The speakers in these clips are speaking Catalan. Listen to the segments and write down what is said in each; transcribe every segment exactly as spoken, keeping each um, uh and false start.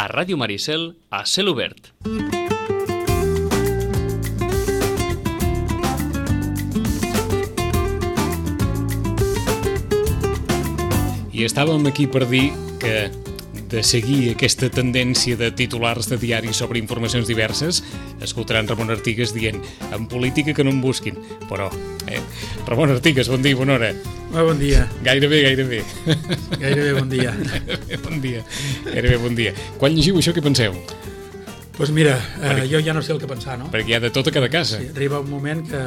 a Ràdio Maricel, a Cel Obert. I estàvem aquí per dir que de seguir aquesta tendència de titulars de diaris sobre informacions diverses, escoltaran Ramon Artigas dient en política que no em busquin. Però, eh? Ramon Artigas, bon dia i bona hora. Ah, bon dia. Gairebé, gairebé. Gairebé bon dia. Gairebé bon dia. Gairebé bon dia. Quan llegiu això, què penseu? Doncs pues mira, eh, perquè, jo ja no sé el que pensar, no? Perquè hi ha de tot a cada casa. Sí, arriba un moment que,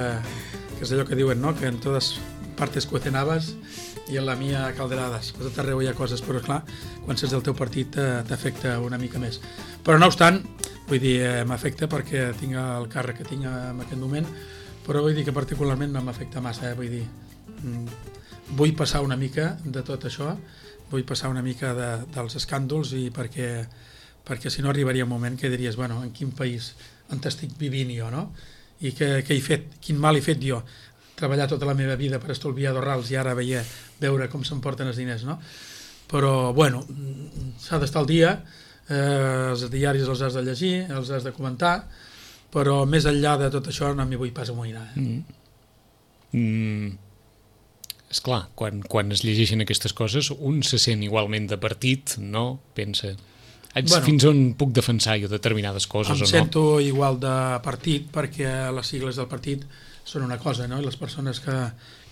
que és allò que diuen, no? Que en totes partes cuecen habas i en la mia calderadas. A tot arreu hi ha coses, però clar, quan saps del teu partit t'afecta una mica més. Però no obstant, vull dir, eh, m'afecta perquè tinc el càrrec que tinc en aquest moment, però vull dir que particularment no m'afecta massa, eh? Vull dir, vull passar una mica de tot això, vull passar una mica de, dels escàndols i perquè, perquè si no arribaria un moment que diries, bueno, en quin país on estic vivint jo, no? I què, què he fet, quin mal he fet jo? Treballar tota la meva vida per estalviar dorrals i ara veia, veure com s'emporten els diners, no? Però, bueno, s'ha d'estar al dia, eh, els diaris els has de llegir, els has de comentar, però més enllà de tot això no m'hi vull pas amoïnar. Eh? Mm. Mm. Esclar, quan, quan es llegeixen aquestes coses, un se sent igualment de partit, no? Pensa, bueno, fins on puc defensar jo determinades coses o no? Em sento igual de partit perquè les sigles del partit són una cosa, no? I les persones que,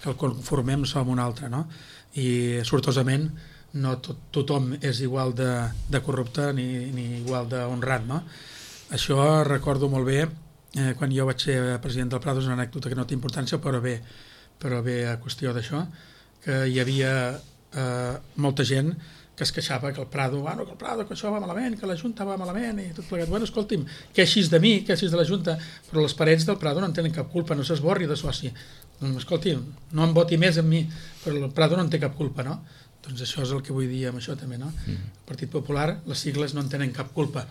que el conformem som una altra, no? I sortosament no tot, tothom és igual de, de corrupte ni, ni igual d'honrat, no? Això recordo molt bé eh, quan jo vaig ser president del Prado, és una anècdota que no té importància, però bé, però bé a qüestió d'això, que hi havia eh, molta gent que es queixava que el Prado, bueno, que el Prado, que això va malament, que la Junta va malament i tot plegat. Bueno, escolti'm, queixis de mi, queixis de la Junta, però les parets del Prado no en tenen cap culpa, no s'esborri de soci. Escolti'm, no em voti més en mi, però el Prado no en té cap culpa, no? Doncs això és el que vull dir amb això també, no? El Partit Popular, les sigles no en tenen cap culpa.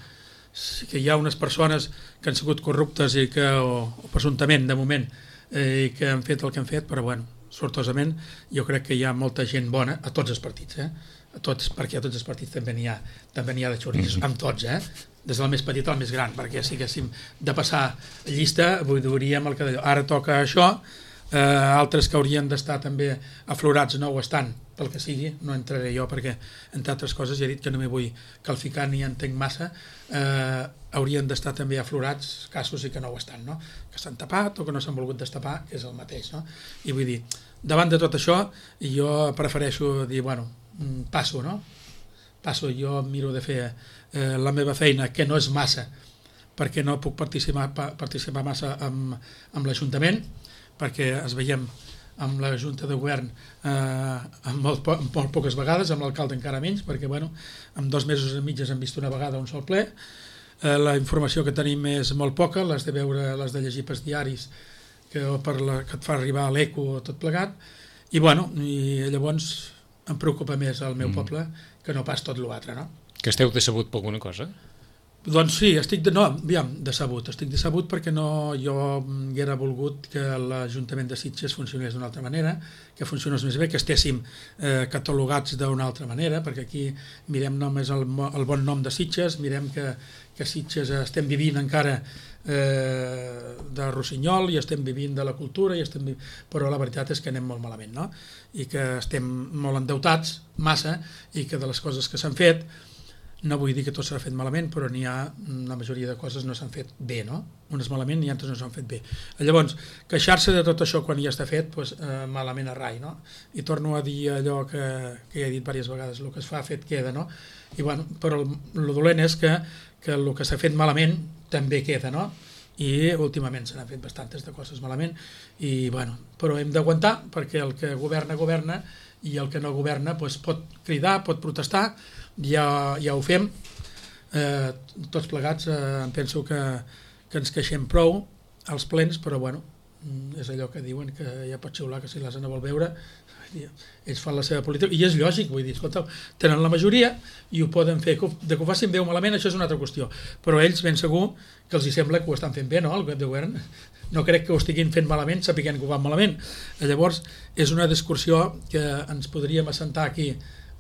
Sí que hi ha unes persones que han sigut corruptes i que, o, o presumptament, de moment, eh, i que han fet el que han fet, però bueno, sortosament, jo crec que hi ha molta gent bona a tots els partits, eh? A tots, perquè a tots els partits també n'hi ha, també n'hi ha de xoriços, amb tots, eh? Des del més petit al més gran, perquè si haguéssim de passar llista, veuríem el que d'allò. Ara toca això, eh, altres que haurien d'estar també aflorats no ho estan, pel que sigui, no entraré jo perquè, entre altres coses, ja he dit que no m'hi vull qualificar ni entenc massa, eh, haurien d'estar també aflorats casos i que no ho estan, no? Que s'han tapat o que no s'han volgut destapar, que és el mateix, no? I vull dir, davant de tot això, jo prefereixo dir, bueno, passo, no? Passo, jo miro de fer eh, la meva feina, que no és massa, perquè no puc participar, participar massa amb, amb l'Ajuntament, perquè es veiem amb la Junta de Govern eh, amb molt, po molt poques vegades, amb l'alcalde encara menys, perquè bueno, en dos mesos i mitges hem vist una vegada un sol ple, eh, la informació que tenim és molt poca, les de veure, les de llegir pels diaris que, per la, que et fa arribar a l'eco tot plegat, i bueno, i llavors em preocupa més el meu mm. poble que no pas tot l'altre, no? Que esteu decebut per alguna cosa? Doncs sí, estic de, no, aviam, decebut, estic decebut perquè no, jo hauria volgut que l'Ajuntament de Sitges funcionés d'una altra manera, que funcionés més bé, que estéssim eh, catalogats d'una altra manera, perquè aquí mirem només el, el bon nom de Sitges, mirem que, que Sitges estem vivint encara eh, de Rossinyol i estem vivint de la cultura, i estem vivint, però la veritat és que anem molt malament, no? I que estem molt endeutats, massa, i que de les coses que s'han fet, no vull dir que tot s'ha fet malament, però n'hi ha, la majoria de coses no s'han fet bé, no? Unes malament i altres no s'han fet bé. Llavors, queixar-se de tot això quan ja està fet, doncs, eh, malament a rai, no? I torno a dir allò que, que ja he dit diverses vegades, el que es fa fet queda, no? I bueno, però el, el dolent és que, que el que s'ha fet malament també queda, no? I últimament se n'han fet bastantes de coses malament, i bueno, però hem d'aguantar, perquè el que governa, governa, i el que no governa doncs, pot cridar, pot protestar, ja, ja ho fem, eh, tots plegats, eh, em penso que, que ens queixem prou als plens, però bueno, és allò que diuen que ja pot xiular que si l'Asa no vol veure, ells fan la seva política, i és lògic, vull dir, escolta, tenen la majoria i ho poden fer, de que ho facin bé o malament, això és una altra qüestió, però ells ben segur que els hi sembla que ho estan fent bé, no?, el web de govern, no crec que ho estiguin fent malament sapiguent que ho fan malament. Llavors és una discussió que ens podríem assentar aquí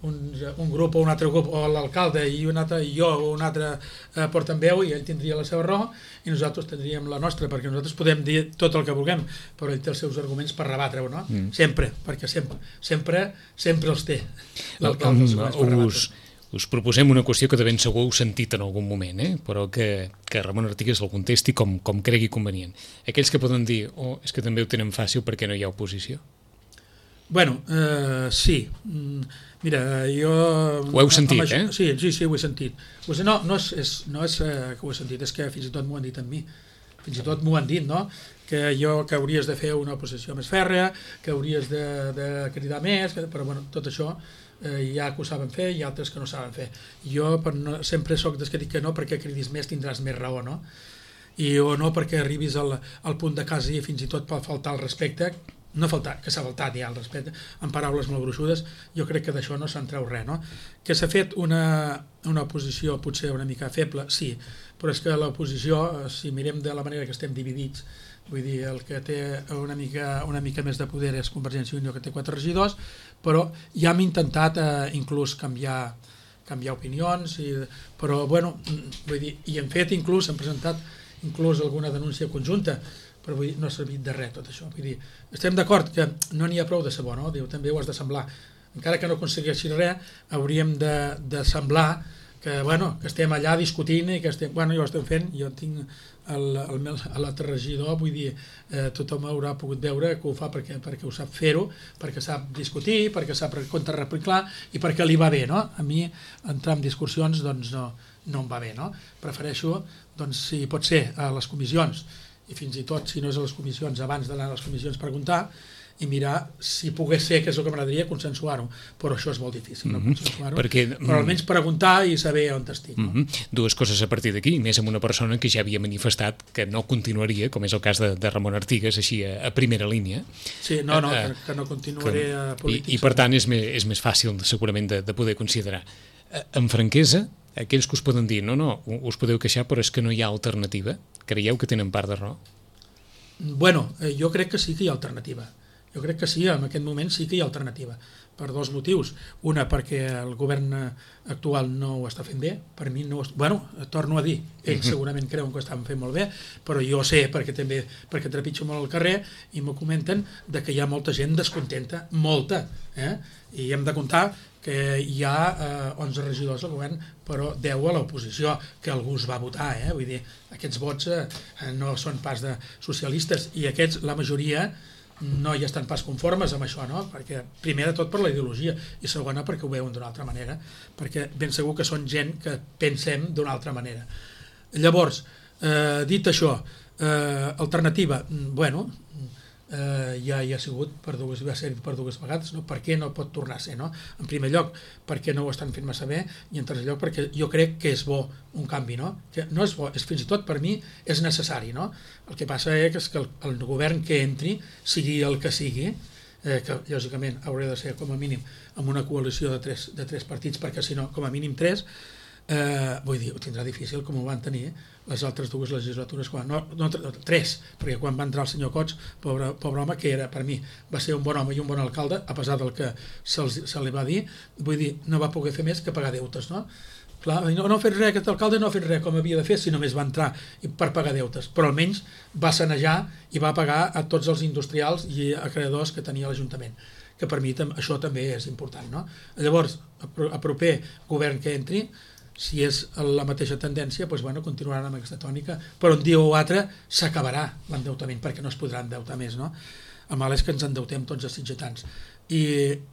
un, un grup o un altre grup, o l'alcalde i un altre, i jo o un altre eh, portaveu, i ell tindria la seva raó i nosaltres tindríem la nostra, perquè nosaltres podem dir tot el que vulguem, però ell té els seus arguments per rebatre-ho, no? Mm. Sempre, perquè sempre, sempre, sempre els té l'alcalde. Um, us, us proposem una qüestió que de ben segur heu sentit en algun moment, eh? Però que, que Ramon Artigas el contesti com, com cregui convenient. Aquells que poden dir, oh, és que també ho tenen fàcil perquè no hi ha oposició. Bueno, eh, sí. Mira, jo... Ho heu sentit, amb, eh? Sí, sí, sí, ho he sentit. No, no és, és, no és eh, que ho he sentit, és que fins i tot m'ho han dit a mi. Fins i tot m'ho han dit, no? Que jo, que hauries de fer una oposició més fèrrea, que hauries de, de cridar més, que, però bueno, tot això eh, hi ha que ho saben fer i altres que no saben fer. Jo per no, sempre sóc dels que dic que no, perquè cridis més tindràs més raó, no? I o no perquè arribis al, al punt de quasi fins i tot per faltar el respecte, no faltar, que s'ha faltat ja el respecte, en paraules molt gruixudes, jo crec que d'això no se'n treu res, no? Que s'ha fet una, una oposició potser una mica feble, sí, però és que l'oposició, si mirem de la manera que estem dividits, vull dir, el que té una mica, una mica més de poder és Convergència i Unió, que té quatre regidors, però ja hem intentat eh, inclús canviar, canviar opinions, i, però bueno, vull dir, i hem fet inclús, hem presentat inclús alguna denúncia conjunta, però vull dir, no ha servit de res tot això. Vull dir, estem d'acord que no n'hi ha prou de ser bo, no? Diu, també ho has de semblar. Encara que no aconsegueixi res, hauríem de, de semblar que, bueno, que estem allà discutint i que estem... Bueno, jo ho estem fent, jo tinc l'altre regidor, vull dir, eh, tothom haurà pogut veure que ho fa perquè, perquè ho sap fer-ho, perquè sap discutir, perquè sap contrarreplicar i perquè li va bé, no? A mi entrar en discussions doncs no, no em va bé, no? Prefereixo, doncs, si pot ser a les comissions, i fins i tot, si no és a les comissions, abans d'anar a les comissions preguntar i mirar si pogués ser, que és el que m'agradaria, consensuar-ho, però això és molt difícil, mm -hmm. no consensuar-ho, Perquè, però almenys preguntar i saber on estic. No? Mm -hmm. Dues coses a partir d'aquí, més amb una persona que ja havia manifestat que no continuaria, com és el cas de, de Ramon Artigas, així a, a primera línia. Sí, no, no, uh, que, que no continuaré que, a polítics. I, I per tant és més, és més fàcil segurament de, de poder considerar. Uh, amb franquesa, aquells que us poden dir, no, no, us podeu queixar, però és que no hi ha alternativa, creieu que tenen part de raó? Bueno, eh, jo crec que sí que hi ha alternativa. Jo crec que sí, en aquest moment sí que hi ha alternativa, per dos motius. Una, perquè el govern actual no ho està fent bé, per mi no ho està... Bueno, torno a dir, ells segurament creuen que ho estan fent molt bé, però jo sé, perquè també perquè trepitjo molt al carrer, i m'ho comenten, de que hi ha molta gent descontenta, molta, eh? I hem de comptar que hi ha eh, onze regidors al govern, però deu a l'oposició, que algú es va votar, eh? Vull dir, aquests vots eh, no són pas de socialistes, i aquests, la majoria, no hi estan pas conformes amb això, no? Perquè, primer de tot per la ideologia, i segona perquè ho veuen d'una altra manera, perquè ben segur que són gent que pensem d'una altra manera. Llavors, eh, dit això, eh, alternativa, bueno, eh, ja hi ha sigut per dues, va ser per dues vegades, no? Per què no pot tornar a ser, no? En primer lloc, perquè no ho estan fent massa bé, i en tercer lloc perquè jo crec que és bo un canvi, no? Que no és bo, és fins i tot per mi és necessari, no? El que passa és que el, el govern que entri, sigui el que sigui, eh, que lògicament haurà de ser com a mínim amb una coalició de tres, de tres partits, perquè si no, com a mínim tres, eh, vull dir, ho tindrà difícil com ho van tenir les altres dues legislatures, quan, no, no, tres, perquè quan va entrar el senyor Cots, pobre, pobre home, que era per mi, va ser un bon home i un bon alcalde, a pesar del que se, se li va dir, vull dir, no va poder fer més que pagar deutes, no? Clar, no, no ha fet res, aquest alcalde no ha fet res com havia de fer, si només va entrar per pagar deutes, però almenys va sanejar i va pagar a tots els industrials i acreedors que tenia l'Ajuntament, que per mi això també és important, no? Llavors, a proper govern que entri, si és la mateixa tendència, doncs, bueno, continuaran amb aquesta tònica, però un dia o altre s'acabarà l'endeutament, perquè no es podrà endeutar més, no? El mal és que ens endeutem tots els sitgetans. I,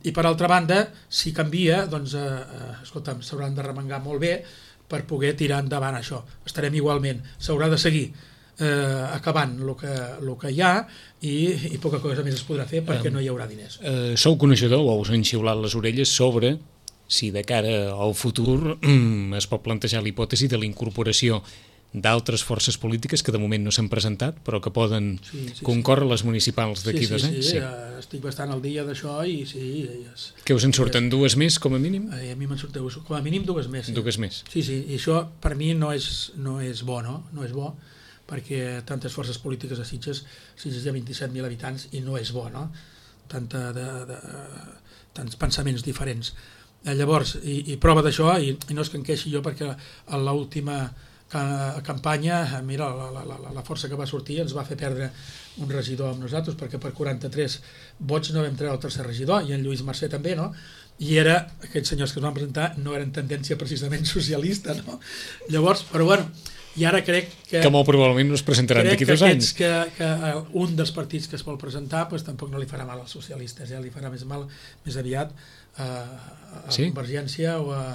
i per altra banda, si canvia, doncs, eh, eh, escolta'm, s'hauran de remengar molt bé per poder tirar endavant això. Estarem igualment, s'haurà de seguir eh, acabant el que, el que hi ha i, i poca cosa més es podrà fer perquè no hi haurà diners. Eh, sou coneixedor o us han xiulat les orelles sobre si de cara al futur es pot plantejar la hipòtesi de la incorporació d'altres forces polítiques que de moment no s'han presentat però que poden sí, sí, concórrer sí. les municipals d'aquí sí, sí, dos anys. Sí, sí, sí, estic bastant al dia d'això i sí... És, que us en surten és, dues més com a mínim? A mi me'n surten com a mínim dues més. Sí. Dues més. Sí, sí, i això per mi no és, no és bo, no? No és bo perquè tantes forces polítiques a Sitges, Sitges hi ha vint-i-set mil habitants i no és bo, no? Tanta de, de, tants pensaments diferents. Llavors, i, i prova d'això, i, i no és que em queixi jo perquè a l'última campanya, mira, la, la, la, la força que va sortir ens va fer perdre un regidor amb nosaltres, perquè per quaranta-tres vots no vam treure el tercer regidor, i en Lluís Mercè també, no? I era, aquests senyors que es van presentar no eren tendència precisament socialista, no? Llavors, però bueno, i ara crec que... Que molt probablement no es presentaran d'aquí dos anys. Que, que un dels partits que es vol presentar pues, tampoc no li farà mal als socialistes, eh? Li farà més mal més aviat a, a sí? Convergència o a,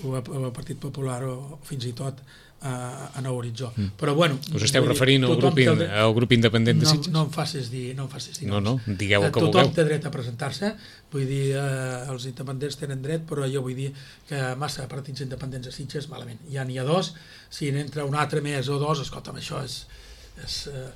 o, a, o a Partit Popular o, o fins i tot a, a Nou Horitzó. Mm. Però bueno... Us esteu referint al grup, in, al grup independent de Sitges? No, no em facis dir, no em facis dir. No, no, digueu el que tothom vulgueu. Tothom té dret a presentar-se, vull dir, eh, els independents tenen dret, però jo vull dir que massa partits independents a Sitges, malament. Ja n'hi ha dos, si n'entra un altre més o dos, escolta'm, això és... és eh,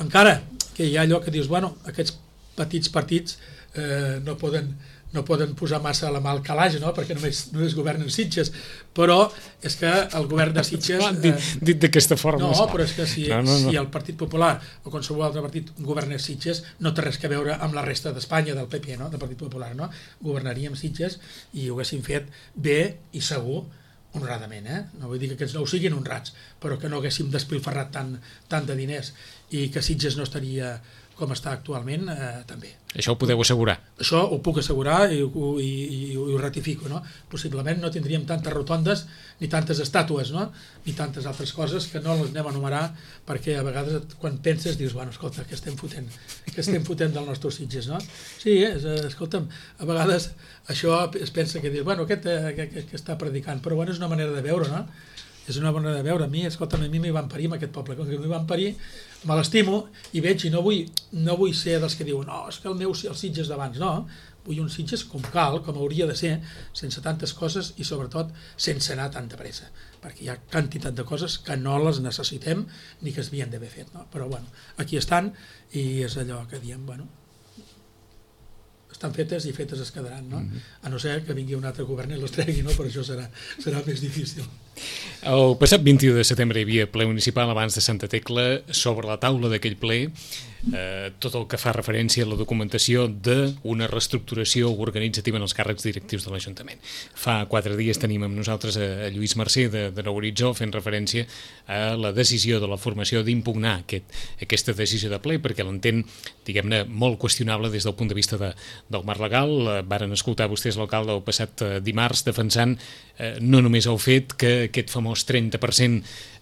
encara que hi ha allò que dius, bueno, aquests petits partits eh, no poden... no poden posar massa la mà al calaix, no? Perquè només, només governen Sitges, però és que el govern de Sitges... Eh, dit dit d'aquesta forma. No, però és que si, no, no, no. si el Partit Popular o qualsevol altre partit governés Sitges, no té res que veure amb la resta d'Espanya, del P P, no? Del Partit Popular, no? Governaríem Sitges i ho haguéssim fet bé i segur, honradament, eh? No vull dir que aquests no ho siguin honrats, però que no haguéssim despilfarrat tant, tant de diners i que Sitges no estaria com està actualment, eh, també. Això ho podeu assegurar? Això ho puc assegurar i, i, i, i ho ratifico, no? Possiblement no tindríem tantes rotondes ni tantes estàtues, no? Ni tantes altres coses que no les anem a enumerar perquè a vegades quan penses dius, bueno, escolta, què estem fotent? Què estem fotent del nostre Sitges, no? Sí, és, escolta'm, a vegades això es pensa que dius, bueno, aquest eh, que, que, que està predicant, però bueno, és una manera de veure, no? És una manera de veure. A mi, escolta'm, a mi m'hi van parir amb aquest poble, com que m'hi van parir, me l'estimo i veig i no vull, no vull ser dels que diuen no, és que el meu el Sitges d'abans, no, vull un Sitges com cal, com hauria de ser, sense tantes coses i sobretot sense anar tanta pressa, perquè hi ha quantitat de coses que no les necessitem ni que es havien d'haver fet, no? Però bueno, aquí estan i és allò que diem, bueno, estan fetes i fetes es quedaran, no? A no ser que vingui un altre govern i les tregui, no? Però això serà, serà més difícil. El passat vint-i-u de setembre hi havia ple municipal abans de Santa Tecla. Sobre la taula d'aquell ple eh, tot el que fa referència a la documentació d'una reestructuració organitzativa en els càrrecs directius de l'Ajuntament. Fa quatre dies tenim amb nosaltres a, a Lluís Mercè de, de Nou Horitzó fent referència a la decisió de la formació d'impugnar aquest, aquesta decisió de ple perquè l'entén, diguem-ne, molt qüestionable des del punt de vista de, del marc legal. Eh, varen escoltar vostès l'alcalde el passat eh, dimarts defensant eh, no només el fet que aquest famós trenta per cent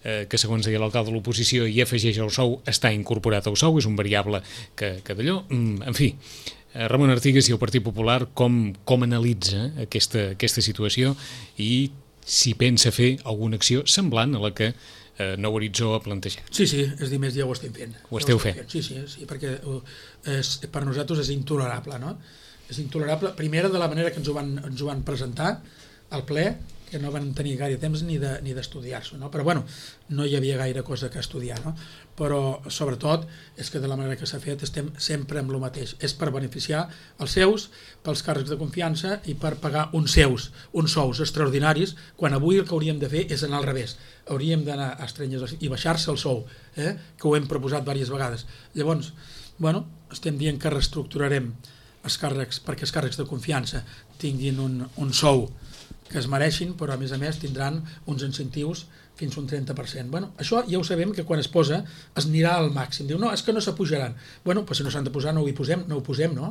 eh, que segons deia l'alcalde de l'oposició hi afegeix el sou està incorporat al sou, és un variable que, que d'allò, mm, en fi, eh, Ramon Artigas i el Partit Popular com, com analitza aquesta, aquesta situació i si pensa fer alguna acció semblant a la que eh, Nou Horitzó ha plantejat. Sí, sí, és dir, més ja ho estem fent. Ho esteu fent? Sí, sí, sí, perquè és, per nosaltres és intolerable, no? És intolerable, primera de la manera que ens ho van, ens ho van presentar al ple, que no van tenir gaire temps ni de, ni d'estudiar-s'ho, no? Però bueno, no hi havia gaire cosa que estudiar, no? Però sobretot és que de la manera que s'ha fet estem sempre amb el mateix, és per beneficiar els seus, pels càrrecs de confiança i per pagar uns seus, uns sous extraordinaris, quan avui el que hauríem de fer és anar al revés, hauríem d'anar a estrenyes i baixar-se el sou, eh? Que ho hem proposat diverses vegades. Llavors, bueno, estem dient que reestructurarem els càrrecs perquè els càrrecs de confiança tinguin un, un sou que es mereixin, però a més a més tindran uns incentius fins un trenta per cent. Bueno, això ja ho sabem que quan es posa es anirà al màxim. Diu, no, és que no s'apujaran. Bueno, però si no s'han de posar no ho hi posem, no ho posem, no?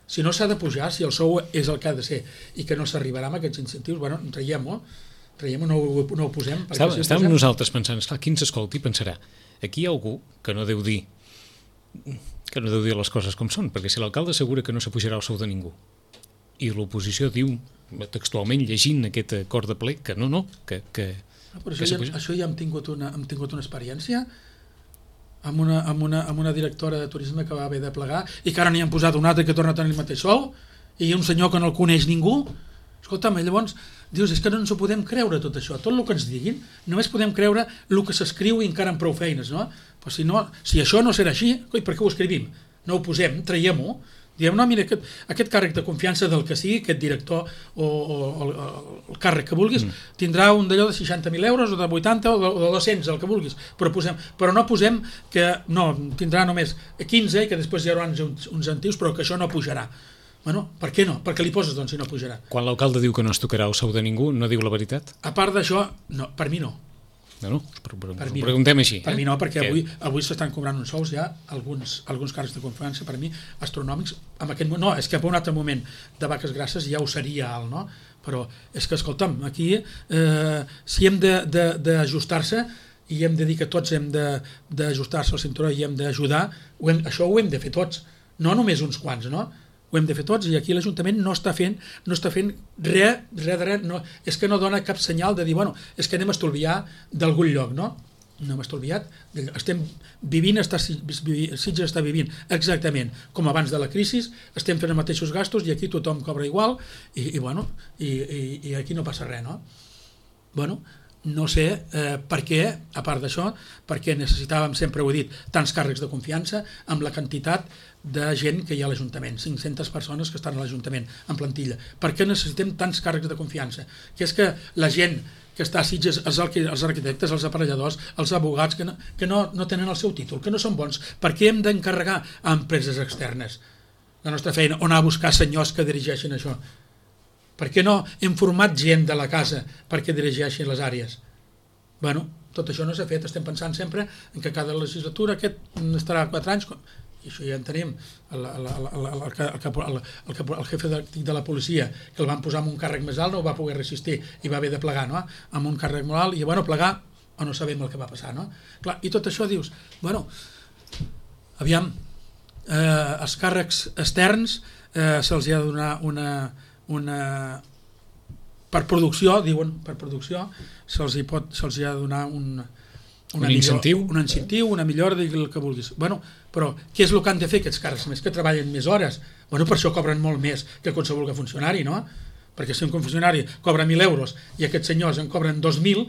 Si no s'ha de pujar, si el sou és el que ha de ser i que no s'arribarà amb aquests incentius, bueno, traiem-ho, traiem-ho, no, no ho posem. Estàvem si posem... nosaltres pensant, esclar, qui ens escolti pensarà, aquí hi ha algú que no deu dir que no deu dir les coses com són, perquè si l'alcalde assegura que no s'apujarà el sou de ningú i l'oposició diu textualment llegint aquest acord de ple que no, no, que, que, no, però això, que ja, això ja hem tingut una, hem tingut una experiència amb una, amb, una, amb una directora de turisme que va haver de plegar i que ara n'hi han posat un altre que torna a tenir el mateix sou i un senyor que no el coneix ningú. Escolta'm, llavors dius, és que no ens ho podem creure tot això, tot el que ens diguin només podem creure el que s'escriu i encara amb prou feines, no? Però si, no, si això no serà així, coi, per què ho escrivim? No ho posem, traiem-ho. Diem, no, mira, aquest, aquest càrrec de confiança del que sigui, aquest director o, o, o el càrrec que vulguis, mm. tindrà un d'allò de seixanta mil euros o de vuitanta o de, o de dos-cents, el que vulguis, però, posem, però no posem que no, tindrà només quinze i que després hi haurà uns, uns incentius, però que això no pujarà. Bueno, per què no? Per què li poses, doncs, si no pujarà? Quan l'alcalde diu que no es tocarà el sou de ningú, no diu la veritat? A part d'això, no, per mi no. No, no, per, per, per ho mi preguntem no. així. Per eh? mi no, perquè que... avui, avui s'estan cobrant uns sous ja, alguns, alguns càrrecs de confiança, per mi, astronòmics. En aquest, no, és que en un altre moment de vaques grasses ja ho seria alt, no? Però és que, escolta'm, aquí, eh, si hem d'ajustar-se, i hem de dir que tots hem d'ajustar-se al cinturó i hem d'ajudar, això ho hem de fer tots, no només uns quants, no? Ho hem de fer tots, i aquí l'Ajuntament no està fent no està fent res, res de res, no, és que no dona cap senyal de dir, bueno, és que anem a estolviar d'algun lloc, no? No hem estolviat, estem vivint, està, Sitges està vivint exactament com abans de la crisi, estem fent els mateixos gastos i aquí tothom cobra igual, i, i bueno, i, i, i aquí no passa res, no? Bueno, no sé eh, per què, a part d'això, perquè necessitàvem, sempre ho he dit, tants càrrecs de confiança amb la quantitat de gent que hi ha a l'Ajuntament, cinc-centes persones que estan a l'Ajuntament en plantilla. Per què necessitem tants càrrecs de confiança? Que és que la gent que està a Sitges, els, els arquitectes, els aparelladors, els abogats, que, no, que no, no tenen el seu títol, que no són bons, per què hem d'encarregar a empreses externes la nostra feina, o anar a buscar senyors que dirigeixin això? Per què no hem format gent de la casa perquè dirigeixin les àrees? Bueno, tot això no s'ha fet, estem pensant sempre en que cada legislatura aquest estarà quatre anys, i això ja en tenim, el, el, el, el, el, el, el, el jefe de, de la policia, que el van posar amb un càrrec més alt, no va poder resistir i va haver de plegar, no? Amb un càrrec molt alt, i bueno, plegar, o no sabem el que va passar, no? Clar, i tot això dius, bueno, aviam, eh, els càrrecs externs eh, se'ls ha de donar una, una per producció, diuen, per producció, se'ls hi pot, se'ls hi ha de donar un un incentiu, un incentiu, una millora, digui el que vulguis. Bueno, però què és el que han de fer aquests càrrecs més? Que treballen més hores. Bueno, per això cobren molt més que qualsevol funcionari, no? Perquè si un funcionari cobra mil euros i aquests senyors en cobren dos mil,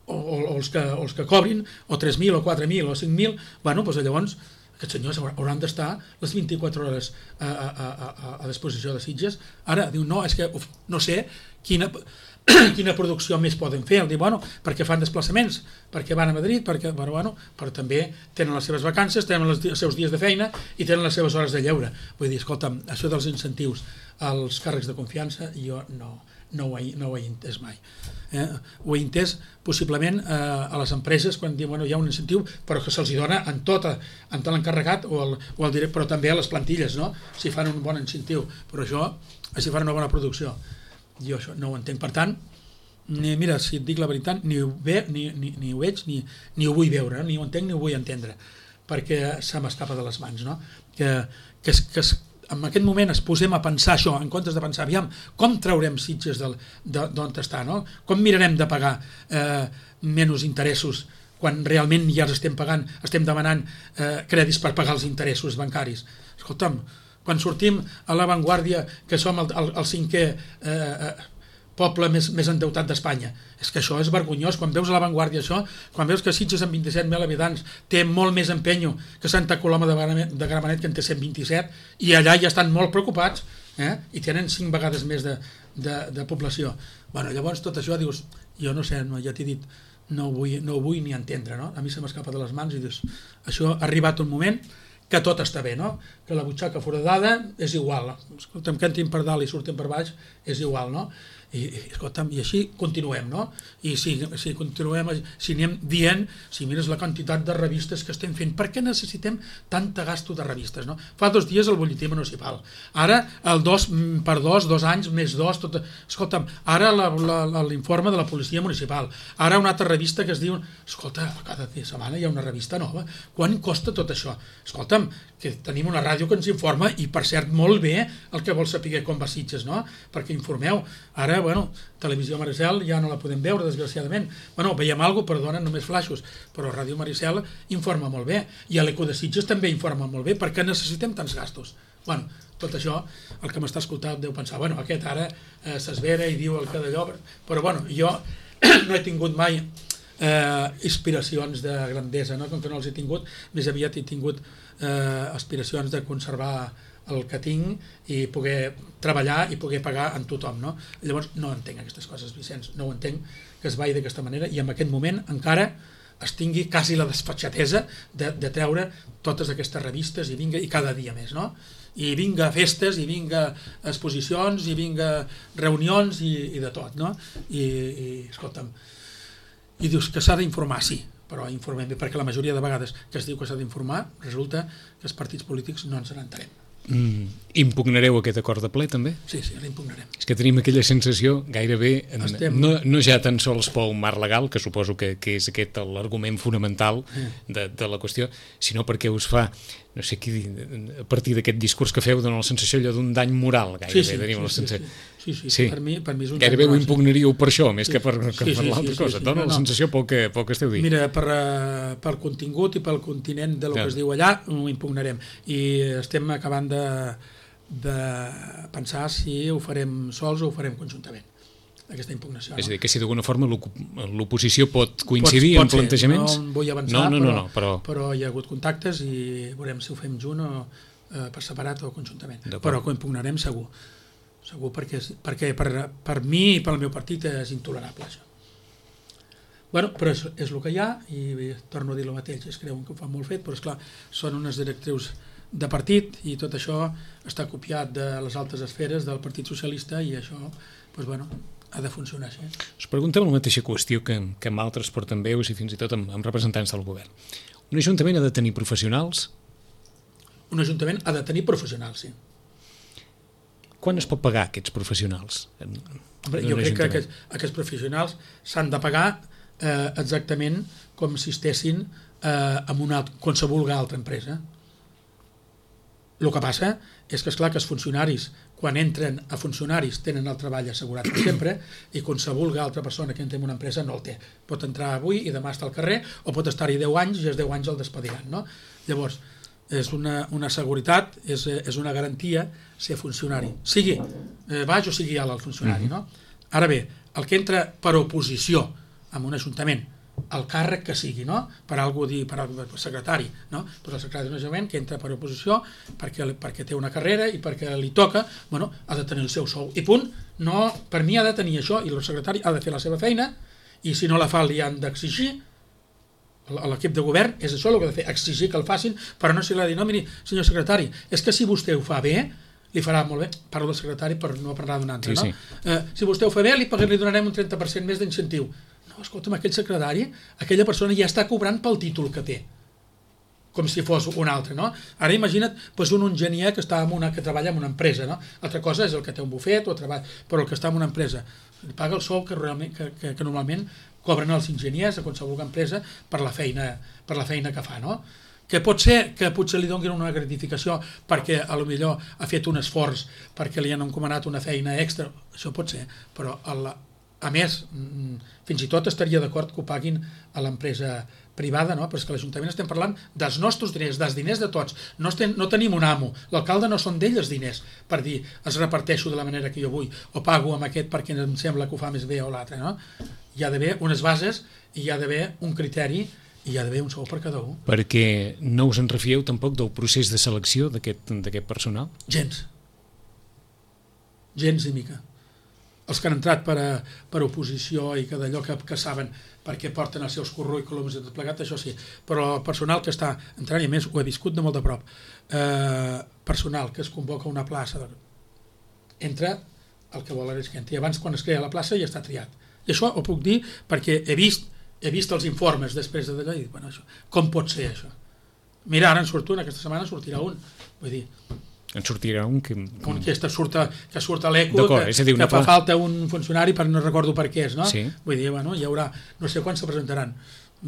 o, o, o, els que, o els que cobrin, o tres mil, o quatre mil, o cinc mil, bueno, doncs llavors aquests senyors hauran d'estar les vint-i-quatre hores a, a, a, a, a disposició de Sitges. Ara, diu, no, és que uf, no sé quina... quina producció més poden fer, el dir, bueno, perquè fan desplaçaments, perquè van a Madrid, perquè, bueno, bueno, però també tenen les seves vacances, tenen els, els seus dies de feina i tenen les seves hores de lleure. Vull dir, escolta'm, això dels incentius als càrrecs de confiança, jo no, no, ho, he, no ho he entès mai. Eh? Ho he entès possiblement eh, a les empreses quan diuen, bueno, hi ha un incentiu, però que se'ls dona en tot, en tot l'encarregat o el, o el directe, però també a les plantilles, no? Si fan un bon incentiu, però això, si fan una bona producció. Jo això no ho entenc, per tant, ni, mira, si et dic la veritat, ni ho, ve, ni, ni, ni ho veig, ni, ni ho vull veure, ni ho entenc ni ho vull entendre, perquè se m'escapa de les mans, no? Que, que, que en aquest moment es posem a pensar això, en comptes de pensar, aviam, com traurem Sitges d'on està, no? Com mirarem de pagar eh, menys interessos quan realment ja els estem pagant, estem demanant eh, crèdits per pagar els interessos bancaris. Escolta'm, quan sortim a l'avantguàrdia que som el, el, el cinquè eh, poble més, més endeutat d'Espanya, és que això és vergonyós. Quan veus a l'avantguàrdia això, quan veus que Sitges amb vint-i-set mil habitants té molt més empenyo que Santa Coloma de, de Gramenet, que en té cent vint-i-set, i allà ja estan molt preocupats, eh? I tenen cinc vegades més de, de, de població. Bueno, llavors tot això dius, jo no sé, no, ja t'he dit, no ho vull, no ho vull ni entendre, no? A mi se m'escapa de les mans i dius, això ha arribat un moment que tot està bé, no? Que la butxaca foradada és igual. Escolta'm, que entrin per dalt i surten per baix és igual, no? I, escolta'm, i així continuem, no? I si, si continuem, si anem dient, si mires la quantitat de revistes que estem fent, per què necessitem tanta gasto de revistes, no? Fa dos dies el butlletí municipal, ara el dos per dos, dos anys, més dos, tot... Escolta'm, ara l'informe de la policia municipal, ara una altra revista que es diu, escolta, cada setmana hi ha una revista nova, quan costa tot això? Escolta'm, que tenim una ràdio que ens informa, i per cert molt bé el que vol saber com va Sitges, no? Perquè informeu. Ara, bueno, Televisió Maricel ja no la podem veure, desgraciadament. Bueno, veiem alguna cosa, però donen només flaixos, però Ràdio Maricel informa molt bé, i a l'Eco de Sitges també informa molt bé, perquè necessitem tants gastos. Bueno, tot això, el que m'està escoltant deu pensar, bueno, aquest ara eh, s'esvera i diu el que d'allò, però bueno, jo no he tingut mai eh, inspiracions de grandesa, no? Com que no els he tingut, més aviat he tingut eh, aspiracions de conservar el que tinc i poder treballar i poder pagar en tothom, no? Llavors no entenc aquestes coses, Vicenç, no ho entenc, que es vagi d'aquesta manera, i en aquest moment encara es tingui quasi la desfatxatesa de, de treure totes aquestes revistes i vinga, i cada dia més, no? I vinga festes, i vinga exposicions, i vinga reunions i, i de tot, no? I, i escolta'm, i dius que s'ha d'informar, sí, però informem bé, perquè la majoria de vegades que es diu que s'ha d'informar, resulta que els partits polítics no ens n'entenem. Mm, impugnareu aquest acord de ple també? Sí, sí, l'impugnarem. És que tenim aquella sensació gairebé, Estem... no, no ja tan sols pel marc legal, que suposo que, que és aquest l'argument fonamental de, de la qüestió, sinó perquè us fa, no sé qui, a partir d'aquest discurs que feu, dona la sensació allò d'un dany moral, gairebé. Sí, sí, tenim sí, la sensació. sí, sí, sí, sí. Per, mi, per mi és un gairebé ho impugnaríeu per això, més sí, que per, que sí, per sí, l'altra sí, cosa. sí, sí. Dona No, la no. sensació pel que, pel que esteu dient. Mira, per, uh, pel contingut i pel continent de lo Clar. que es diu allà, ho impugnarem. I estem acabant de, de pensar si ho farem sols o ho farem conjuntament, aquesta impugnació. És a No? dir, que si d'alguna forma l'oposició pot coincidir pot, pot en plantejaments... No vull avançar, no, no, no, però, no, però... però hi ha hagut contactes i veurem si ho fem junt o eh, per separat o conjuntament. Però que ho impugnarem segur. Segur perquè, perquè per, per mi i pel meu partit és intolerable això. Bueno, però és, és el que hi ha i torno a dir el mateix, es creuen que ho fan molt fet, però esclar, són unes directrius de partit i tot això està copiat de les altes esferes del Partit Socialista i això, doncs bueno, ha de funcionar així. Us preguntem la mateixa qüestió que, que amb altres portaveus i fins i tot amb, amb representants del govern. Un ajuntament ha de tenir professionals? Un ajuntament ha de tenir professionals, sí. Quan es pot pagar aquests professionals? En, Hombre, en jo crec que ajuntament? aquests, aquests professionals s'han de pagar eh, exactament com si estessin eh, en una qualsevol altra empresa. El que passa és que, esclar, que els funcionaris, quan entren a funcionaris, tenen el treball assegurat per sempre i qualsevol altra persona que entra en una empresa no el té. Pot entrar avui i demà està al carrer o pot estar-hi deu anys i els deu anys el despediran, no? Llavors, és una, una seguretat, és, és una garantia ser funcionari. Sigui eh, baix o sigui alt el funcionari, no? Ara bé, el que entra per oposició en un ajuntament, el càrrec que sigui, no? Per algú dir, per, per secretari, no? Però el secretari d'un ajuntament que entra per oposició perquè, perquè té una carrera i perquè li toca, bueno, ha de tenir el seu sou. I punt, no, per mi ha de tenir això i el secretari ha de fer la seva feina i si no la fa li han d'exigir. L'equip de govern és això el que ha de fer, exigir que el facin, però no se li ha de dir, no, miri, senyor secretari, és que si vostè ho fa bé, li farà molt bé, parlo del secretari per no parlar d'un altre, sí, no? Sí. Eh, si vostè ho fa bé, li, li donarem un trenta per cent més d'incentiu. No, escolta'm, aquell secretari, aquella persona ja està cobrant pel títol que té, com si fos un altre, no? Ara imagina't doncs un enginyer que, està en una, que treballa en una empresa, no? Altra cosa és el que té un bufet o treballa, però el que està en una empresa li paga el sou que, realment, que, que, que normalment cobren els enginyers a qualsevol empresa per la feina, per la feina que fa, no? Que pot ser que potser li donin una gratificació perquè a lo millor ha fet un esforç perquè li han encomanat una feina extra, això pot ser, però el, a més, fins i tot estaria d'acord que ho paguin a l'empresa privada, no? Però és que l'Ajuntament estem parlant dels nostres diners, dels diners de tots. No, estem, no tenim un amo, l'alcalde no són d'ell els diners, per dir, els reparteixo de la manera que jo vull, o pago amb aquest perquè em sembla que ho fa més bé o l'altre, no? Hi ha d'haver unes bases i hi ha d'haver un criteri i hi ha d'haver un sou per cada un. Perquè no us en refieu tampoc del procés de selecció d'aquest personal? Gens. Gens i mica. Els que han entrat per, a, per oposició i que d'allò que, que saben perquè porten els seus currículums i tot plegat, això sí. Però el personal que està entrant, i a més ho he viscut de molt de prop, eh, personal que es convoca una plaça, entra el que vol és que entri. Abans, quan es crea la plaça, ja està triat. I això ho puc dir perquè he vist he vist els informes després de d'allò i dic, bueno, això, com pot ser això? Mira, ara en surt un, aquesta setmana sortirà un. Vull dir, en sortirà un que... un que surt a, que surt a l'eco, que, dir, que fa falta un funcionari per no recordo per què és, no? Sí. Vull dir, bueno, hi haurà, no sé quants se presentaran,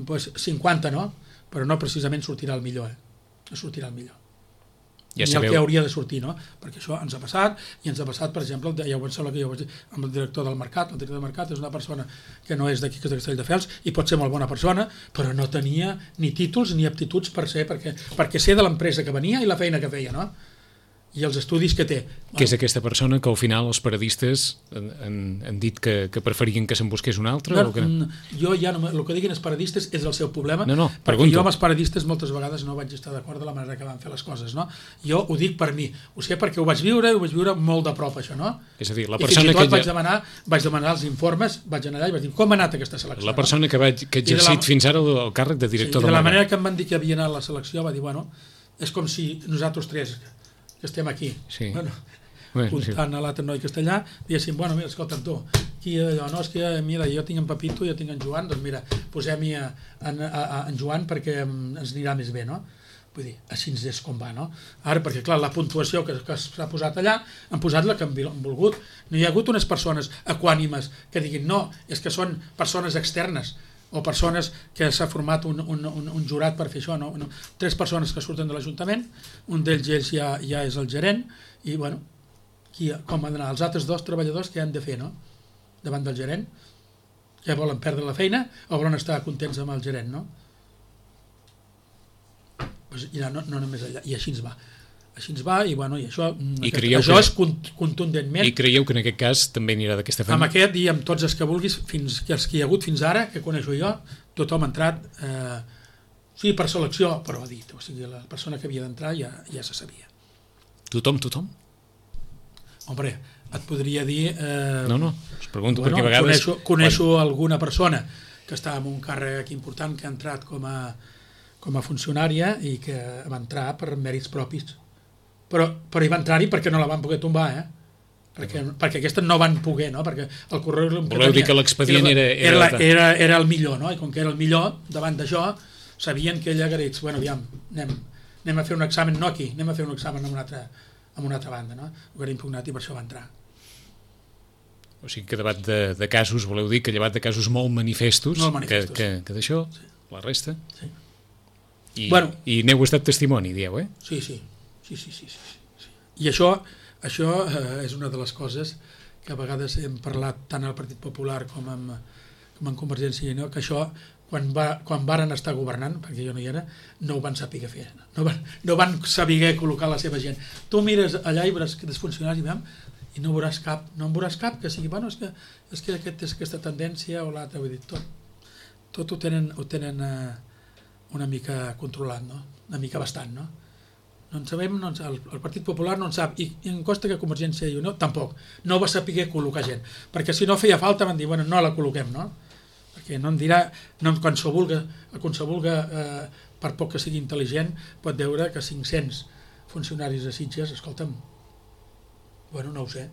pues cinquanta, no? Però no precisament sortirà el millor, eh? No sortirà el millor. Ja ni sabeu... el que hauria de sortir, no? Perquè això ens ha passat, i ens ha passat, per exemple, ja ho pensava que jo vaig dir, amb el director del Mercat. El director del Mercat és una persona que no és d'aquí, que és de Castelldefels, i pot ser molt bona persona, però no tenia ni títols ni aptituds per ser, perquè, perquè sé de l'empresa que venia i la feina que feia, no? i els estudis que té. Que és aquesta persona que al final els paradistes han, han dit que, que preferien que se'n busqués un altre? No, o que... Jo ja no, el que diguin els paradistes és el seu problema, no, no, perquè pregunto. jo amb els paradistes moltes vegades no vaig estar d'acord de la manera que van fer les coses, no? Jo ho dic per mi, ho sé perquè ho vaig viure, ho vaig viure molt de prop això, no? És a dir, la I persona fins i tot que vaig demanar, vaig demanar els informes, vaig anar allà i vaig dir, com ha anat aquesta selecció? La persona no? que, vaig, que ha exercit la... fins ara el, el càrrec de director sí, de, de la manera manera que em van dir que havia anat la selecció, va dir, bueno, és com si nosaltres tres que estem aquí, sí. bueno, Bé, comptant sí. a l'altre noi castellà, diguéssim, bueno, mira, escolta'm tu, aquí allò, no, és que mira, jo tinc en Pepito, jo tinc en Joan, doncs mira, posem-hi en, en Joan perquè ens anirà més bé, no? Vull dir, així és com va, no? Ara, perquè clar, la puntuació que, que s'ha posat allà, han posat la que han volgut. No hi ha hagut unes persones equànimes que diguin, no, és que són persones externes, o persones que s'ha format un, un, un, un jurat per fer això, no? no? Tres persones que surten de l'Ajuntament, un d'ells ja, ja és el gerent, i bueno, qui, com han d'anar? Els altres dos treballadors que han de fer, no? Davant del gerent, que volen perdre la feina o volen estar contents amb el gerent, no? Pues, ja, no, no només allà, i així ens va. Així ens va, i bueno, i això, I aquest, això que... és contundentment. I creieu que en aquest cas també anirà d'aquesta feina? Amb aquest i amb tots els que vulguis, fins que els que hi ha hagut fins ara, que coneixo jo, tothom ha entrat, eh, sí, per selecció, però ha dit, o sigui, la persona que havia d'entrar ja, ja se sabia. Tothom, tothom? Hombre, et podria dir... Eh, no, no, us pregunto, bueno, perquè a vegades... Coneixo, coneixo quan... alguna persona que està en un càrrec important, que ha entrat com a, com a funcionària i que va entrar per mèrits propis. Però, però hi va entrar-hi perquè no la van poder tombar, eh? Perquè, perquè aquestes no van poder, no? Perquè el currículum que Voleu tenia, dir que l'expedient era... Era, era, era, era el millor, no? I com que era el millor, davant d'això, sabien que ella hagués dit, bueno, aviam, anem, anem a fer un examen, no aquí, anem a fer un examen en una altra, en una altra banda, no? Ho era impugnat i per això va entrar. O sigui que llevat de, de casos, voleu dir que llevat de casos molt manifestos, molt manifestos. que, que, que d'això, sí. La resta... Sí. I, bueno, i n'heu estat testimoni, dieu, eh? Sí, sí. Sí, sí, sí, sí, sí. I això, això eh, és una de les coses que a vegades hem parlat tant al Partit Popular com amb, com amb Convergència i Unió, que això, quan, va, quan varen estar governant, perquè jo no hi era, no ho van saber fer, no van, no van saber col·locar la seva gent. Tu mires allà i veuràs que dels funcionaris i, i no veuràs cap, no en veuràs cap que sigui, bueno, és que, és que aquest, és aquesta tendència o l'altra, vull dir, tot, tot ho tenen, ho tenen eh, una mica controlat, no? Una mica bastant, no? No en sabem, no en sap, el, el Partit Popular no en sap, i, i em costa que Convergència i Unió tampoc, no va saber col·locar gent, perquè si no feia falta van dir, bueno, no la col·loquem, no? Perquè no em dirà, no, quan se vulga, quan se vulga eh, per poc que sigui intel·ligent, pot veure que cinc-cents funcionaris de Sitges, escolta'm, bueno, no ho sé,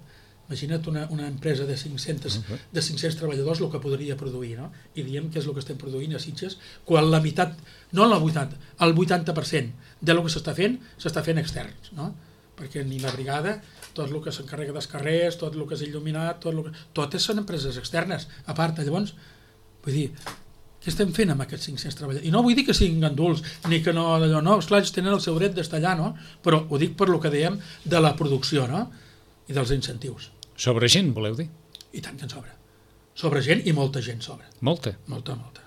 imagina't una, una empresa de cinc-cents, de cinc-cents treballadors el que podria produir, no? I diem que és el que estem produint a Sitges, quan la meitat, no la vuitanta, el vuitanta per cent del que s'està fent, s'està fent externs, no? Perquè ni la brigada, tot el que s'encarrega dels carrers, tot el que és il·luminat, tot el que... totes són empreses externes, a part, llavors, vull dir, què estem fent amb aquests cinc-cents treballadors? I no vull dir que siguin ganduls, ni que no, allò, no, esclar, ells tenen el seu dret d'estar allà, no? Però ho dic per lo que dèiem de la producció, no? I dels incentius. Sobre gent, voleu dir? I tant que en sobra. Sobre gent i molta gent sobra. Molta? Molta, molta.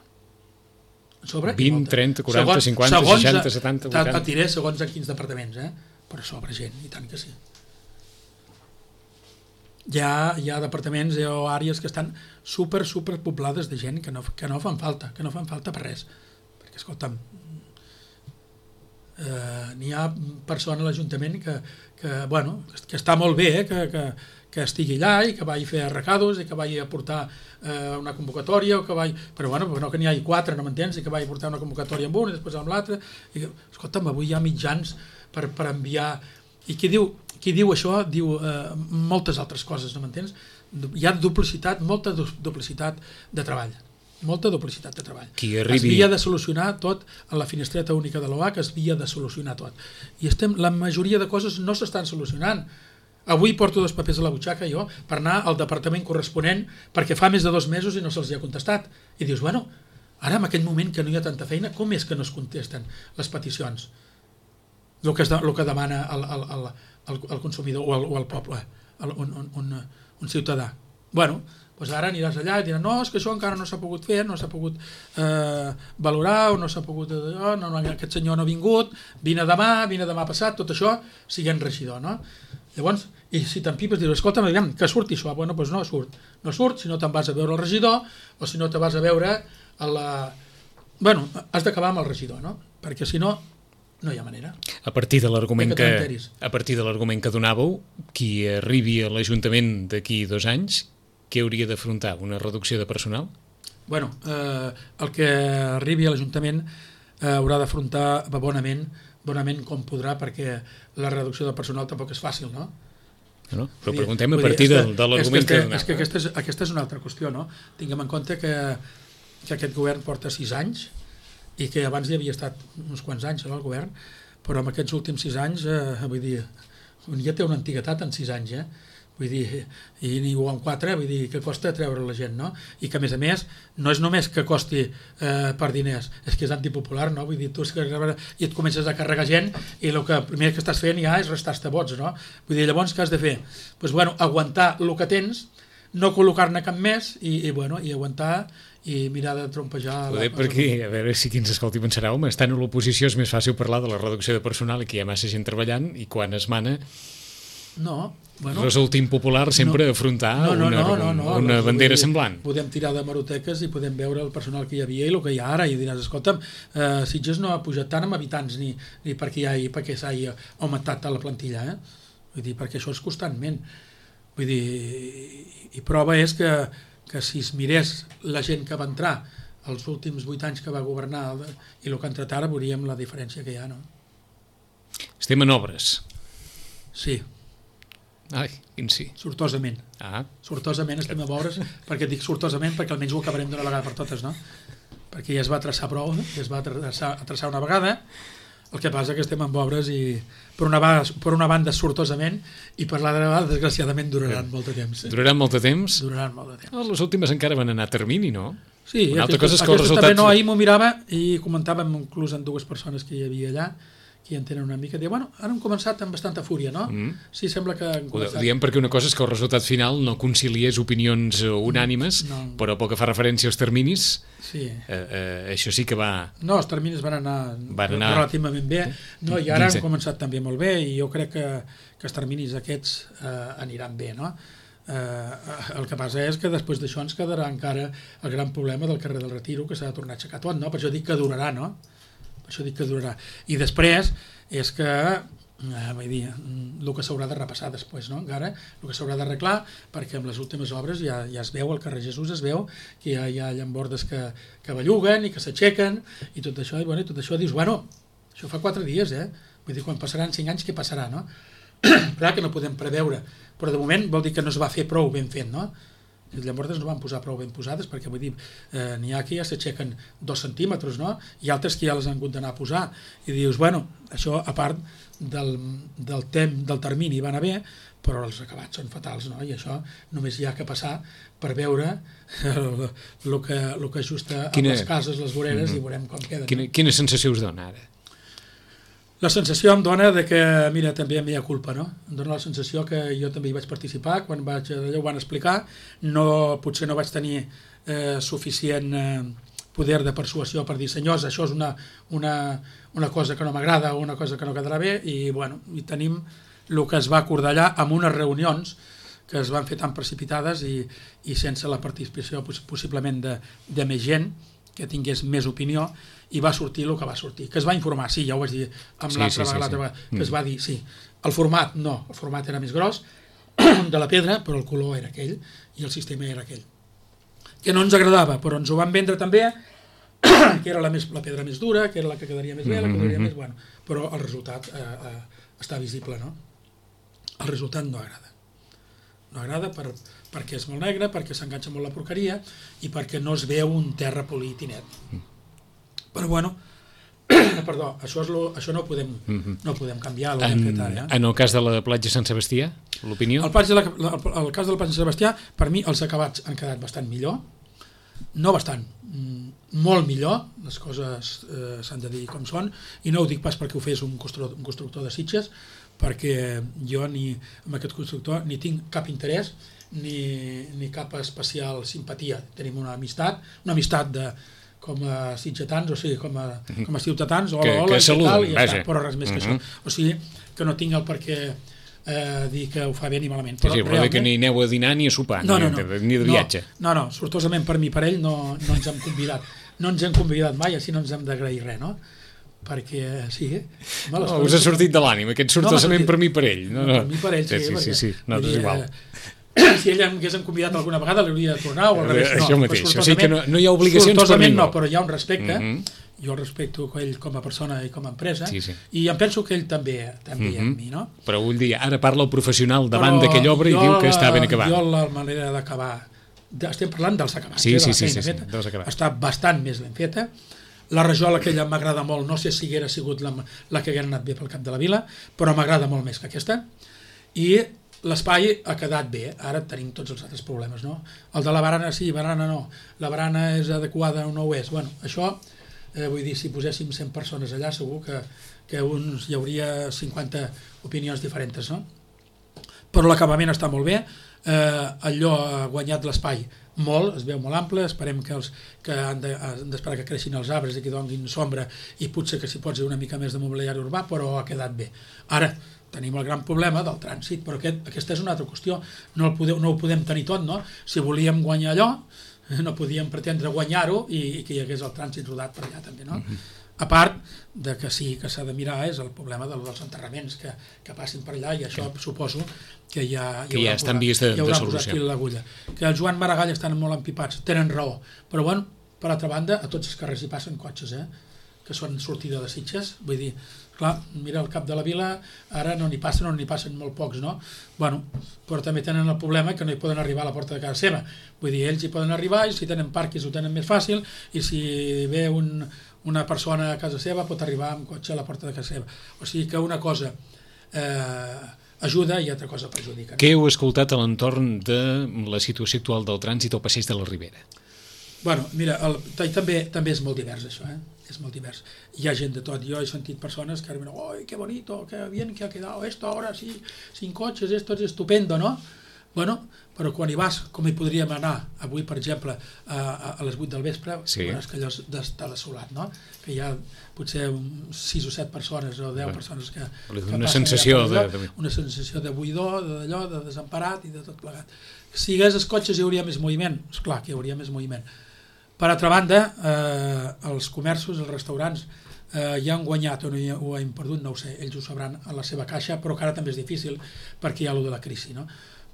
Sobre vint, molta. trenta, quaranta, segons, cinquanta, segons, seixanta, setanta, vuitanta... Et diré segons a quins departaments, eh? Però sobre gent, i tant que sí. Hi ha, hi ha departaments o àrees que estan super, super poblades de gent que no, que no fan falta, que no fan falta per res. Perquè, escolta'm, eh, n'hi ha persona a l'Ajuntament que, que, bueno, que està molt bé, eh, que, que, que estigui allà i que vagi a fer recados i que vagi a portar eh, una convocatòria, o que vagi... però bueno, no que n'hi hagi quatre, no m'entens, i que vagi a portar una convocatòria amb un i després amb l'altre. Escolta'm, avui hi ha mitjans per, per enviar... I qui diu, qui diu això diu eh, moltes altres coses, no m'entens? Hi ha duplicitat, molta duplicitat de treball. Molta duplicitat de treball. Qui arribi... Es havia de solucionar tot en la finestreta única de l'O H, es havia de solucionar tot. I estem, la majoria de coses no s'estan solucionant. Avui porto dos papers a la butxaca jo per anar al departament corresponent perquè fa més de dos mesos i no se'ls ha contestat. I dius, bueno, ara en aquest moment que no hi ha tanta feina, com és que no es contesten les peticions? El que, es de, el que demana el, el, el, el, el consumidor o el, o el poble, el, un, un, un ciutadà. Bueno, doncs ara aniràs allà i diran, no, és que això encara no s'ha pogut fer, no s'ha pogut eh, valorar, o no s'ha pogut, eh, no, no, aquest senyor no ha vingut, vine demà, vine demà passat, tot això siguent regidor, no? Llavors, i si t'empipes, dius, escolta, aviam, que surti això? Bueno, doncs no surt, no surt, si no te'n vas a veure el regidor, o si no te vas a veure a la... Bueno, has d'acabar amb el regidor, no? Perquè si no, no hi ha manera. A partir de l'argument que, que, a partir de l'argument que donàveu, qui arribi a l'Ajuntament d'aquí dos anys, què hauria d'afrontar? Una reducció de personal? Bueno, eh, el que arribi a l'Ajuntament eh, haurà d'afrontar bonament, bonament com podrà, perquè la reducció de personal tampoc és fàcil, no? No, però preguntem a partir de, de l'argument que, que donava. És que aquesta és, aquesta és una altra qüestió, no? Tinguem en compte que, que aquest govern porta sis anys i que abans hi havia estat uns quants anys no, el govern, però en aquests últims sis anys, eh, vull dir, ja té una antiguitat en sis anys, eh? Vull dir, i ni ho en quatre, vull dir, que costa treure la gent, no? I que a més a més, no és només que costi eh, per diners, és que és antipopular, no? Vull dir, tu és que, i et comences a carregar gent i el que primer que estàs fent ja és restar-te vots, no? Vull dir, llavors què has de fer? Doncs, pues, bueno, aguantar el que tens, no col·locar-ne cap més i, i, bueno, i aguantar i mirar de trompejar... Ho dic perquè, a veure si qui ens escolti pensarà, home, estant a l'oposició és més fàcil parlar de la reducció de personal i que hi ha massa gent treballant i quan es mana no, bueno, resulta impopular sempre no, afrontar no, no, una, no, no, no, una no, bandera dir, semblant. Podem tirar de maroteques i podem veure el personal que hi havia i el que hi ha ara i diràs, escolta'm, eh, Sitges no ha pujat tant amb habitants ni, ni perquè, hi ha, perquè s'hagi augmentat la plantilla, eh? Vull dir, perquè això és constantment. Vull dir, i prova és que, que si es mirés la gent que va entrar els últims vuit anys que va governar i el que ha entrat ara, veuríem la diferència que hi ha, no? Estem en obres. Sí. Ai, quin sí. Sortosament. Ah. Sortosament estem en obres, perquè dic sortosament perquè almenys ho acabarem d'una vegada per totes, no? Perquè ja es va traçar prou, ja es va traçar, traçar una vegada, el que passa que estem en obres i per una, per una banda sortosament i per l'altra desgraciadament duraran molt de temps. Eh? Duraran molt de temps? Duraran molt de temps. Oh, les últimes encara van anar a termini, no? Sí, una altra aquesta, cosa és que el resultat... també no, ahir m'ho mirava i comentàvem inclús amb dues persones que hi havia allà que hi en tenen una mica, diuen, bueno, ara hem començat amb bastanta fúria, no? Mm. Sí, sembla que... Hem començat... Ho diem perquè una cosa és que el resultat final no conciliés opinions unànimes, no. Però pel que fa referència als terminis, sí. eh, eh, això sí que va... No, els terminis van anar, van anar... relativament bé, no, i ara han començat també molt bé, i jo crec que, que els terminis aquests eh, aniran bé, no? Eh, el que passa és que després d'això ens quedarà encara el gran problema del carrer del Retiro, que s'ha de tornar a aixecar tot, no? Per això dic que durarà, no? Això dic que durarà. I després és que eh, vull dir, el que s'haurà de repassar després, no? Encara, el que s'haurà d'arreglar, perquè amb les últimes obres ja, ja es veu, al carrer Jesús es veu que hi ha, hi ha llambordes que, que belluguen i que s'aixequen i tot això, i, bueno, i tot això dius, bueno, això fa quatre dies, eh? Vull dir, quan passaran cinc anys, què passarà, no? Clar que no podem preveure, però de moment vol dir que no es va fer prou ben fet, no? Les llambordes no van posar prou ben posades perquè, vull dir, eh, n'hi ha que ja s'aixequen dos centímetres, no? I altres que ja les han hagut d'anar a posar. I dius, bueno, això a part del, del temps, del termini va anar bé, però els acabats són fatals, no? I això només hi ha que passar per veure el, el, que, el que ajusta amb quina... les cases, les voreres, mm-hmm. i veurem com queden. Quina, quina sensació us dona ara? La sensació em dona de que, mira, també em hi ha culpa, no? Em dona la sensació que jo també hi vaig participar, quan vaig, allò ho van explicar, no, potser no vaig tenir eh, suficient eh, poder de persuasió per dir, senyors, això és una, una, una cosa que no m'agrada o una cosa que no quedarà bé, i, bueno, i tenim el que es va acordar allà amb unes reunions que es van fer tan precipitades i, i sense la participació possiblement de, de més gent, que tingués més opinió, i va sortir el que va sortir, que es va informar, sí, ja ho vaig dir amb sí, l'altra sí, vegada, sí, sí. que es va dir, sí, el format no, el format era més gros de la pedra, però el color era aquell i el sistema era aquell, que no ens agradava, però ens ho van vendre també que era la, més, la pedra més dura, que era la que quedaria més bé, la que quedaria mm-hmm. més bueno, però el resultat eh, eh, està visible, no? El resultat no agrada no agrada per, perquè és molt negre, perquè s'enganxa molt la porqueria i perquè no es veu un terra polit i net. Però bueno, perdó, això, és lo, això no, ho podem, mm-hmm. no ho podem canviar. En, ara, eh? En el cas de la platja Sant Sebastià, l'opinió? El, de la, el, el cas de la platja Sant Sebastià, per mi els acabats han quedat bastant millor, no bastant, molt millor, les coses eh, s'han de dir com són, i no ho dic pas perquè ho fes un constructor, un constructor de Sitges, perquè jo ni amb aquest constructor ni tinc cap interès ni, ni cap especial simpatia. Tenim una amistat, una amistat de, com a sitgetans, o sigui, com a, com a ciutadans, hola, que, hola, que saluden, tal, i ja vaja. està, però res més que uh-huh. això. O sigui, que no tinc el per què eh, dir que ho fa bé ni malament. Però, però sí, però realment... que ni aneu a dinar ni a sopar, no, no, ni, no, de, ni de viatge. No, no, sortosament per mi, per ell, no, no ens hem convidat. No ens hem convidat mai, així no ens hem d'agrair res, no? Perquè, sí, eh? No, us ha sortit de l'ànima, aquest sortosament no, per mi, per ell. No, no. Per mi, per ell, sí, sí, sí, sí, no, és igual. Si ell em hagués convidat alguna vegada l'hauria de tornar o al revés, no. Això mateix, o sigui que no, no hi ha obligacions per ningú. No, però hi ha un respecte, mm-hmm. jo el respecto ell com a persona i com a empresa, sí, sí. i em penso que ell també, també mm-hmm. amb mi, no? Però vull dir, ara parla el professional davant d'aquella obra i diu que està ben acabat. Jo la manera d'acabar, estem parlant dels acabats, sí, eh, de sí, la sí, feina sí, feta, sí, sí, està bastant més ben feta. La rajola aquella m'agrada molt, no sé si haguera sigut la, la que haguera anat bé pel cap de la vila, però m'agrada molt més que aquesta. I l'espai ha quedat bé, ara tenim tots els altres problemes, no? El de la barana sí, barana no, la barana és adequada o no ho és. Bueno, això, eh, vull dir, si poséssim cent persones allà, segur que, que uns, hi hauria cinquanta opinions diferents, no? Però l'acabament està molt bé, eh, allò ha guanyat l'espai molt, es veu molt ample, esperem que, els, que han d'esperar de, que creixin els arbres i que donin sombra i potser que s'hi pot ser una mica més de mobiliari urbà, però ha quedat bé. Ara, tenim el gran problema del trànsit, però aquest, aquesta és una altra qüestió, no, el podeu, no ho podem tenir tot, no? Si volíem guanyar allò, no podíem pretendre guanyar-ho i, i que hi hagués el trànsit rodat per allà també, no? Mm-hmm. A part de que sí que s'ha de mirar és el problema dels enterraments que, que passin per allà i això sí. Suposo que ja, que ja està en vies de, de solució. L'agulla. Que el Joan Maragall estan molt empipats, tenen raó, però bueno, per altra banda, a tots els carrers hi passen cotxes, eh? Que són sortida de Sitges, vull dir, clar, mira el cap de la vila, ara no n'hi passen o n'hi passen molt pocs, no? Bueno, però també tenen el problema que no hi poden arribar a la porta de casa seva, vull dir, ells hi poden arribar i si tenen parquis ho tenen més fàcil i si ve un, una persona a casa seva pot arribar amb cotxe a la porta de casa seva, o sigui que una cosa eh, ajuda i altra cosa perjudica. No? Què heu escoltat a l'entorn de la situació actual del trànsit al passeig de la Ribera? Bueno, mira, el, també, també és molt divers això, eh? És molt divers. Hi ha gent de tot. Jo he sentit persones que diuen, ¡ay, qué bonito, qué bien que ha quedado esto ahora, sí, sin coches, esto es estupendo, ¿no? Bueno, però quan hi vas, com hi podríem anar avui, per exemple, a, a, a les vuit del vespre, sí. Veuràs que allò està desolat, no? Que hi ha potser sis o set persones o deu persones que, que una sensació de, de... Una sensació de buidor, d'allò, de desemparat i de tot plegat. Si hi hagués els cotxes hi hauria més moviment, esclar que hi hauria més moviment. Per altra banda, eh, els comerços, els restaurants, eh, ja han guanyat o, no hi ha, o han perdut, no ho sé, ells ho sabran a la seva caixa, però que ara també és difícil perquè hi ha allò de la crisi, no?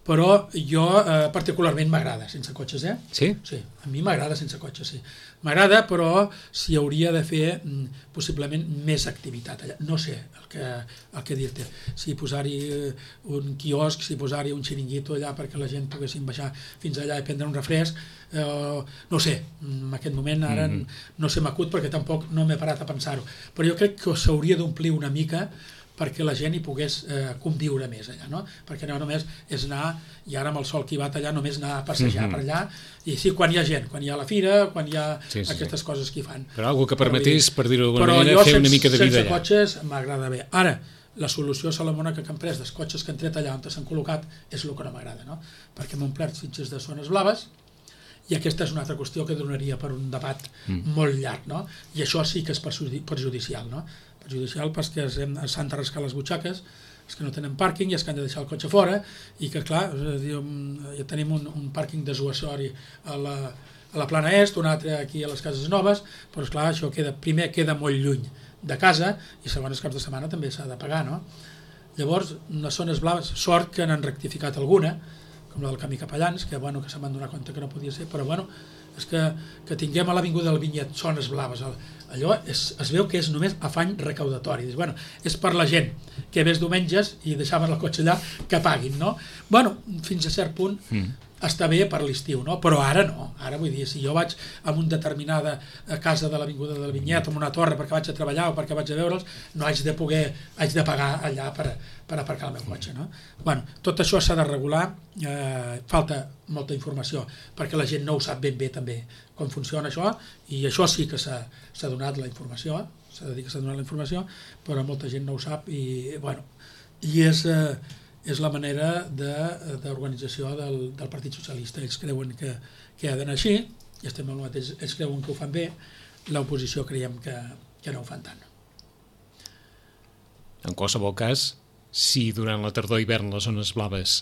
Però jo eh, particularment m'agrada sense cotxes, eh? Sí? Sí, a mi m'agrada sense cotxes, sí. M'agrada, però s'hi hauria de fer mm, possiblement més activitat allà. No sé el que, el que dir-te. Si posar-hi un quiosc, si posar-hi un xiringuito allà perquè la gent poguessin baixar fins allà i prendre un refresc, eh, no sé, en aquest moment ara mm-hmm. no se m'acut perquè tampoc no m'he parat a pensar-ho. Però jo crec que s'hauria d'omplir una mica perquè la gent hi pogués eh, conviure més allà, no? Perquè no només és anar, i ara amb el sol que hi va allà, només anar a passejar mm-hmm. per allà, i sí, quan hi ha gent, quan hi ha la fira, quan hi ha sí, sí, aquestes sí. coses que hi fan. Però algo que permetés, per dir-ho d'alguna manera, fer una mica de vida allà. Però jo sense cotxes m'agrada bé. Ara, la solució salomònica que han pres dels cotxes que han tret allà on s'han col·locat és el que no m'agrada, no? Perquè m'han omplert fitxes de zones blaves, i aquesta és una altra qüestió que donaria per un debat mm. molt llarg, no? I això sí que és perjudicial, no? Perjudicial perquè s'han de rascar les butxaques, els que no tenen pàrquing i els que han de deixar el cotxe fora, i que, clar, ja tenim un, un pàrquing desuasori a la, a la plana est, un altre aquí a les cases noves, però, esclar, això queda, primer queda molt lluny de casa, i segon, els caps de setmana també s'ha de pagar, no? Llavors, les zones blaves, sort que n'han rectificat alguna, com la del Camí Capellans, que, bueno, que se m'han donat compte que no podia ser, però, bueno, és que, que tinguem a l'Avinguda del Vinyet zones blaves, allò és, es veu que és només afany recaudatori. Dius, bueno, és per la gent que ves diumenges i deixaven el cotxe allà que paguin, no? Bueno, fins a cert punt mm. està bé per l'estiu, no? Però ara no. Ara vull dir, si jo vaig a una determinada casa de l'Avinguda del Vinyet, en una torre perquè vaig a treballar o perquè vaig a veure'ls, no haig de poder, haig de pagar allà per, per aparcar el meu cotxe, no? Bueno, tot això s'ha de regular, eh, falta molta informació perquè la gent no ho sap ben bé també com funciona això, i això sí que s'ha donat la informació, s'ha de dir que s'ha donat la informació, però molta gent no ho sap i, bueno, i és, eh, és la manera d'organització de, del, del Partit Socialista. Ells creuen que, que ha d'anar així, i estem al mateix, ells creuen que ho fan bé, l'oposició creiem que, que no ho fan tant. En qualsevol cas, si durant la tardor i hivern les zones blaves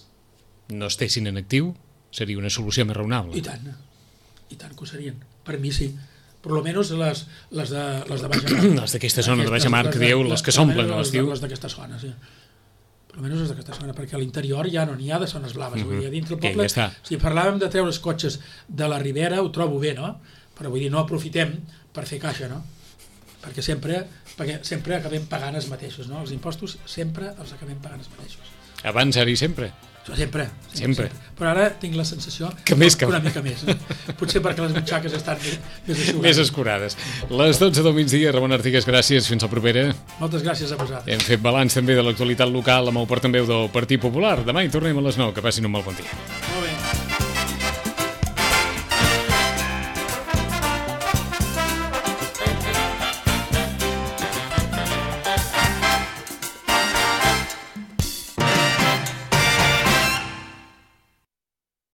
no estessin en actiu, seria una solució més raonable. I tant, i tant que ho serien. Per mi sí. Per almenys les, les de, les de Baixa Mar. Les d'aquesta zona de Baixa Mar, que dieu, les que s'omplen a l'estiu. Les d'aquesta zona, sí. Per almenys les d'aquesta zona, perquè a l'interior ja no n'hi ha de zones blaves. Mm-hmm. Vull dir, a dintre el poble, ja si parlàvem de treure els cotxes de la Ribera, ho trobo bé, no? Però vull dir, no aprofitem per fer caixa, no? Perquè sempre, perquè sempre acabem pagant els mateixos, no? Els impostos sempre els acabem pagant els mateixos. Abans era i sempre. Sempre, sempre, sempre. sempre. Però ara tinc la sensació que més que una mica més. Potser perquè les butxaques estan més, més eixugades. Més escurades. Les dotze del migdia, Ramon Artigas, gràcies. Fins al propera. Moltes gràcies a vosaltres. Hem fet balanç també de l'actualitat local amb el portaveu del Partit Popular. Demà hi tornem a les nou. Que passin un molt bon dia. Molt bé.